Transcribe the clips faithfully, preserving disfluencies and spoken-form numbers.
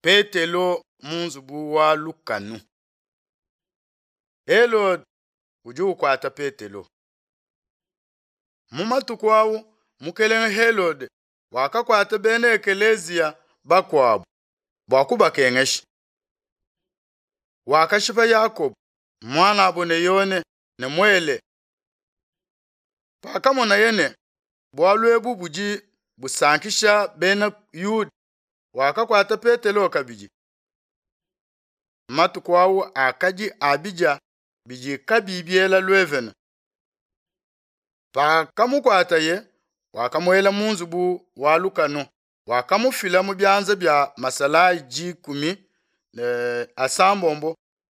Petelo mu nzubu wa lukanu. Helode udi ukuata Petelo. Mu matuku au mukelenge Helode wakakuata bena ekeleziya bakuabu bua kubakengesha. Wakashipa Yakobo muanabo ne Yone ne muele. Pakamonaye ne bualu ebu budi busankisha bena Yuda, wakakuata Petelo kabidi. Matuku au akadi a bidia bidi kabiyi biela luevene. Pakamukuataye, wakamuela mu nzubu wa lukanu, wakamufila mu bianza bia masalayi dikumi ne asambombo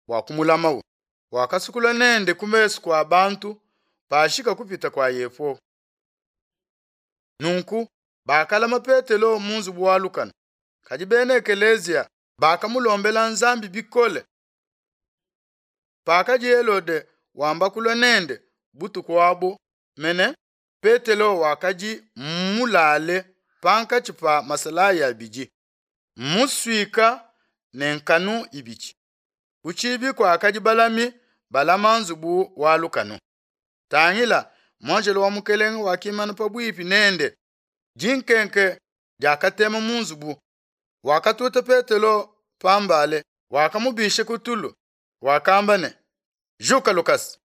bua kumulamawu. Wakasukula nende ku mesu kua bantu pashika kupita kua Yepo. Nunku bakalama Petelo mu nzubu wa lukanu, kadi bena ekeleziya bakamulombela Nzambi bikole. Pakadi Helode wamba kulua nende butuku abu mene, Petelo wakadi mulale pankatshi pa masalayi abidi, musuika ne nkanu ibidi. Ku tshibi kuakadi balami balama nzubu wa lukanu. Tangila, muanjelo wa mukelenge wakimana pabuipi nende, dinkenke diakatema mu nzubu. Wakatuta Petelo pambale, wakamubisha ku tulu, wakamba ne, Juka lukasa.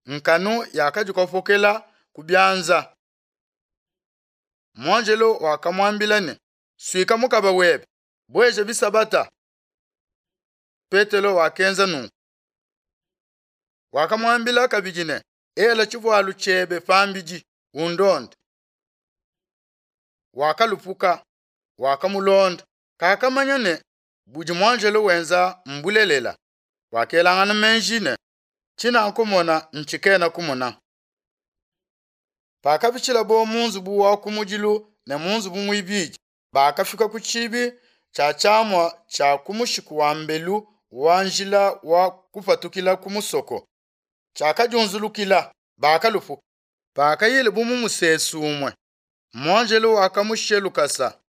Nkanu yakadikopokela ku bianza. Muanjelo wakamuambila ne, Suika mukaba webe, bueja bisabata. Petelo wakenza nunku. Wakamuambila kabidi ne, Ela tshivualu tshiebe pambidi, undonde. Wakalupuka, wakamulonda. Kakamanya ne budi muanjelo wenza mbulelela. Wakelangana meji ne, tshinakumona ntshikena kumona. Pakapitshilabo mu nzubu wa kumudilu ne mu nzubu muibidi, bakafika ku tshibi tshia tshiamua tshia ku mushiku wa mbelu wa njila wa kupatukila ku musoko. Tshiakadiunzulukila, bakalupuka. Pakayile bu mu musesu umue, muanjelo wakamushiya lukasa.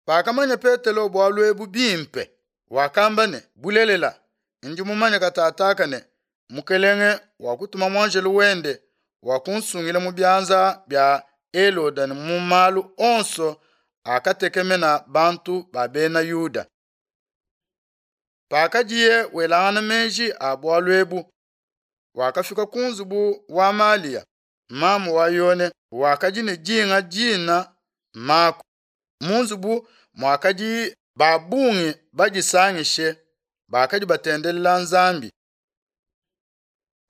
Pakamanya Petelo bualu ebu bimpe, wakamba ne, bulelela, ndi mumanye katataka ne, mukelenge wakutuma muanjelo wende wakunsungila mu bianza bia Helode ne mu malu onso akatekemena bantu ba bena Yuda. Pakadiye welangana meji a bualu ebu, wakafika ku nzubu wa Malia, mamu wa Yone, wakadi ne dinga dina Mako. Mu nzubu muakadi ba bungi badisangishe, bakadi batendelela Nzambi.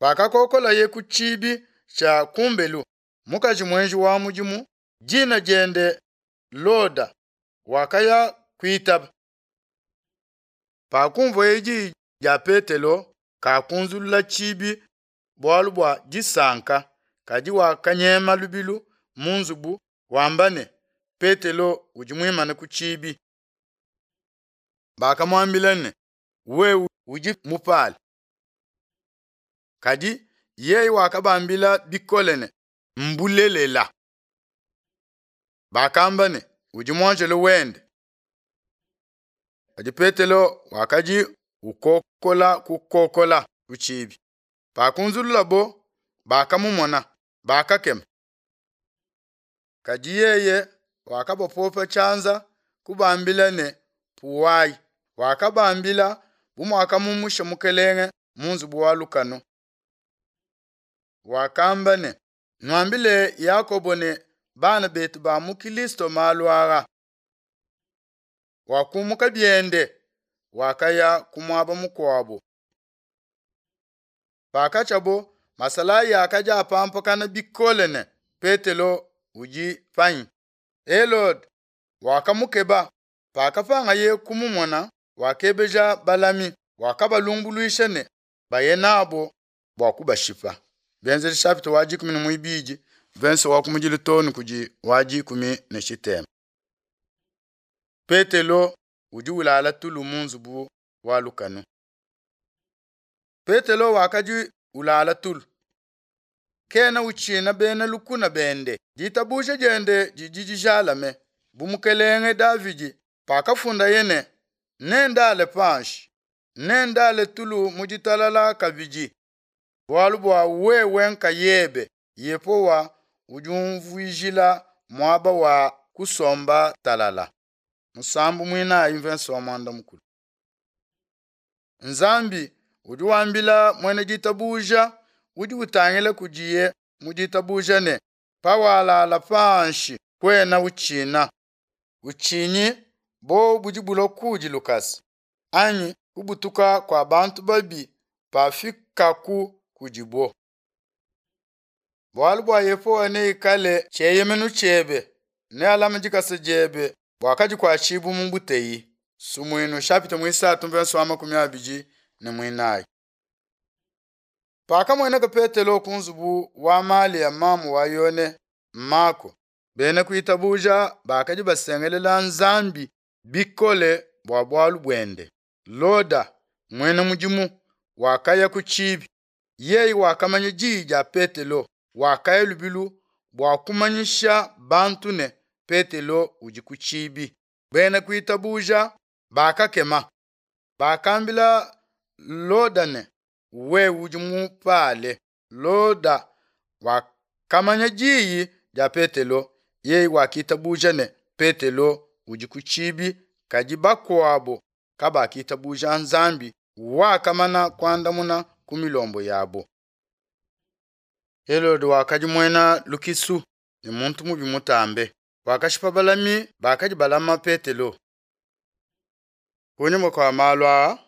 Pakakokolaye ku tshibi tshia kumbelu, mukaji muenji wa mudimu, dina diende Loda, wakaya kuitaba. Pakumvueye diyi dia Petelo, kakunzulula tshibi bualu bua disanka, kadi wakanyema lubilu mu nzubu wamba ne, Petelo udi muimane ku tshibi. Bakamuambila ne, wewe udi mupale. Kadi yeye wakabambila bikole ne, mbulelela. Bakamba ne, udi muanjelo wende. Kadi Petelo wakadi ukokola kukokola ku tshibi. Pakunzululabo, bakamumona, bakakema. Kadi yeye wakabapopa tshianza kubambila ne, puwayi. Wakabambila bu muakamumusha mukelenge mu nzubu wa lukanu. Wakamba ne, nuambile Yakobo ne bana betu ba mu Kilisto malu aa. Wakumuka biende, wakaya ku muaba mukuabo. Pakatshiabo, masalayi akadi apampakana bikole ne Petelo udi panyi. Helode wakamukeba, pakapangaye kumumona, wakebeja balami, wakabalumbuluisha ne baye nabo bua kubashipa. Bienzedi chapitre wa dikumi ne muibidi, verse wa kumudilu too kudi wa dikumi ne tshitema. Petelo udi ulala tulu mu nzubu wa lukanu. Petelo wakadi ulala tulu. Kena utshina bena lukuna bende. Ditabuja diende didi dijalame. bu mukelenge Davidi pakafundaye ne, Nendale panshi, nendale tulu mu ditalala kabidi, bualu bua wewe nkayebe, Yehowa, udi umvuijila muaba wa kusomba talala. Musambu muinayi mvenso wa muanda mukulu. Nzambi udi wambila muena ditabuja udi utangila kudiye mu ditabuja ne, pawalala panshi kuena utshina. Utshinyi bo budi bulua kudi lukasa, anyi kubutuka kua bantu babi pafikaku kudibo. Bualu bua Yehowa neikale tshieyemenu tshiebe, nealame dikasa diebe bua kadikuatshibu mu buteyi. Sumuinu chapitre muisatu mvenso wa makumi abidi ne muinayi. Pakamueneka Petelo ku nzubu wa Malia mamu wa Yone Mako, bena kuitabuja bakadi basengelela Nzambi bikole bua bualu buende. Loda, muena mudimu, wakaya ku tshibi. Yeye wakamanya diyi dia Petelo, wakaya lubilu bua kumanyisha bantu ne, Petelo udi ku tshibi. Bena kuitabuja bakakema, bakambila Loda ne, wewe udi mupale. Loda wakamanya diyi dia Petelo, yeye wakitabuja ne, Petelo udi ku tshibi, kadi bakuabo kabakitabuja Nzambi wakamana kuandamuna ku milombo yabo. Helode wakadi muena lukisu ne muntu mubi mutambe, wakashipa balami bakadi balama Petelo. Kunyima kua malu aa,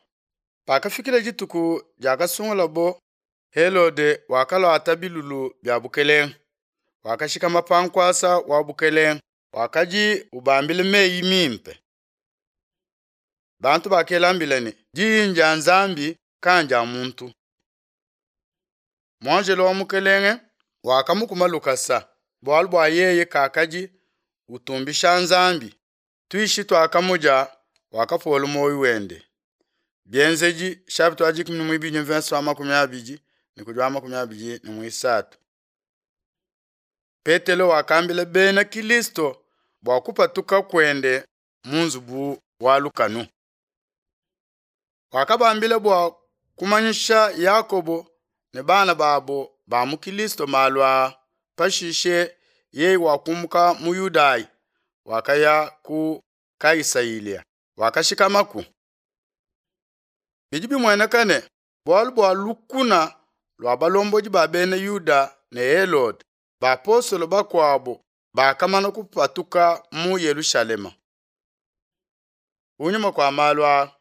pakafikila dituku diakasungulabo, Helode wakaluata bilulu bia bukelenge, wakashikama pa nkuasa wa bukelenge, wakadi ubambila meyi mimpe. Bantu bakela mbila ne, diyi ndia Nzambi kandia muntu. Muanjelo wa mukelenge wakamukuma lukasa, bualu bua yeye kakadi utumbisha Nzambi. Tuishi tuakamudia, wakapola muoyo wende. Bienzedi chapitre wa dikumi ne muibidi mvenso wa makumi abidi ne kudi wa makumi abidi ne muisatu. Petelo wakambila bena Kilisto bua kupatuka kuende mu nzubu wa lukanu. Wakabambila bua kumanyisha Yakobo ne bana babo ba mu Kilisto malu aa. Pashishe yeye wakumbuka mu Yudaya, wakaya ku Kaisalia, wakashikamaku. Bidi bimueneka ne, bualu bua lukuna lua balombodi ba bena Yuda ne Helode, bapostolo bakuabo bakamana kupatuka mu Yelushalema. Kunyima kua malu aa,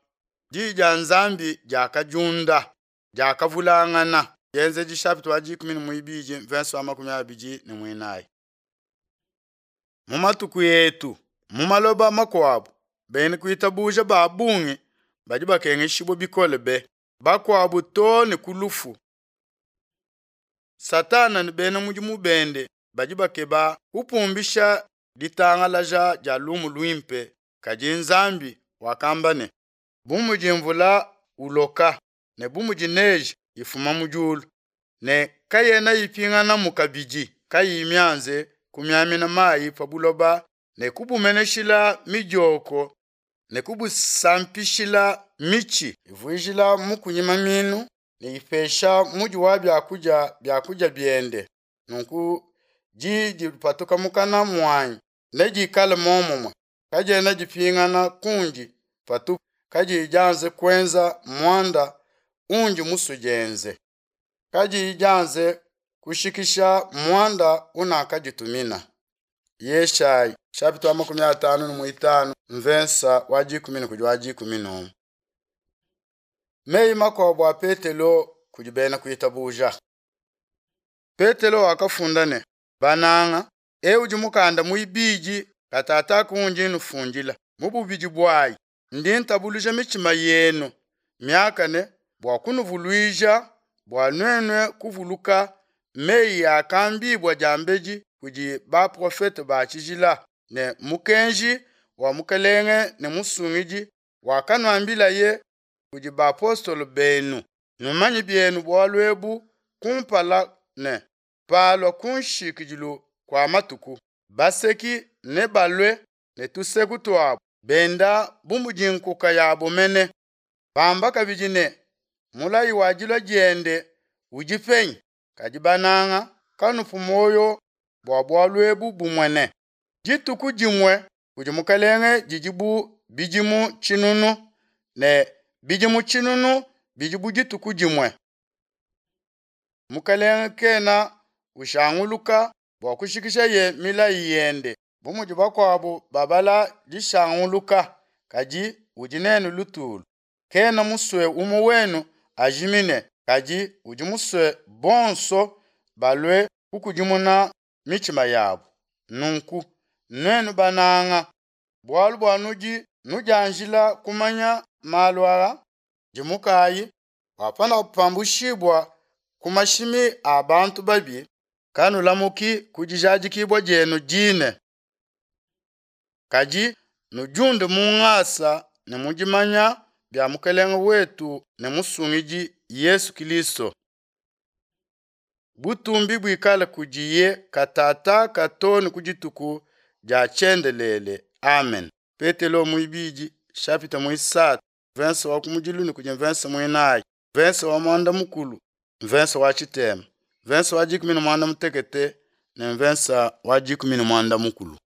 diyi dia Nzambi diakadiunda, diakavulangana. Bienzedi chapitre wa dikumi ne muibidi mvenso wa makumi abidi ne muinayi. Mu matuku etu, mu maloba makuabu, bena kuitabuja ba bungi badi bakengeshibua bikole be, bakuabu too ne ku lufu. Satana ne bena mudimu bende badi bakeba kupumbisha ditangalaja dia lumu luimpe, kadi Nzambi wakamba ne, bu mudi mvula uloka ne bu mudi neige ifuma mu diulu, ne kayena ipinganamu kabidi kayiyi mianze kumiamina mayi pa buloba ne kubumeneshila midioko ne kubusampishila mitshi, ivuijila mukunyi maminu ne ipesha mudi wa biakudia biakudia biende. Nunku diyi dipatuka mukana muanyi nedikale muomumue, kadiena dipingana kundi patupu, kadiyi dianze kuenza muanda undi musue dienze, kadiyi dianze kushikisha muanda unakaditumina. Yeshayi chapitre wa makumi atanu ne muitanu mvensa wa dikumi ne kudi wa dikumi n'umue. Meyi makuabu a Petelo kudi bena kuitabuja. Petelo wakafunda ne, bananga, ewu udi mukanda muibidi katataka undi nufundila. Mu bubidi buayi ndi ntabuluja mitshima yenu miakane bua kunuvuluija bua nuenu kuvuluka meyi akambibua diambedi kudi baprofete ba tshijila ne mukenji wa Mukelenge ne Musungidi wakanuambilaye kudi bapostolo benu. Numanye bienu bualu ebu kumpala ne, palua ku nshikidilu kua matuku, baseki nebalue ne tuseku tuabo, benda bu mudi nkuka yabo mene, bamba kabidi ne, Mulayi wa dilua diende udi penyi? Kadi bananga, kanupu muoyo bua bualu ebu bumue ne, Dituku dimue kudi Mukalenge didi bu bidimu tshinunu, ne bidimu tshinunu bidi bu dituku dimue. Mukalenge kena ushanguluka bua kushikishaye milayi yende, bu mudi bakuabu babala dishanguluka, kadi udi nenu lutulu, kena musue umue wenu ajimine, kadi udi musue bonso balue kukudimuna mitshima yabu. Nunku, nuenu bananga, bualu bua nudi nudianjila kumanya malu aa, dimukayi bua panupambushibua ku mashimi a bantu babi, kanulamuki ku dijadikibua dienu dine. Kadi nudiunde mu ngasa ne mu dimanya bia Mukelenge wetu ne Musungidi Yesu Kristo. Butumbi buikale kudiye katataka too ne ku dituku dia tshiendelele. Amen. Petelo muibidi chapitre muisatu verse wa kumudilu ne kudi verse muinayi verse wa muanda mukulu verse wa tshitema verse wa dikumi ne muanda mutekete ne verse wa dikumi ne muanda mukulu.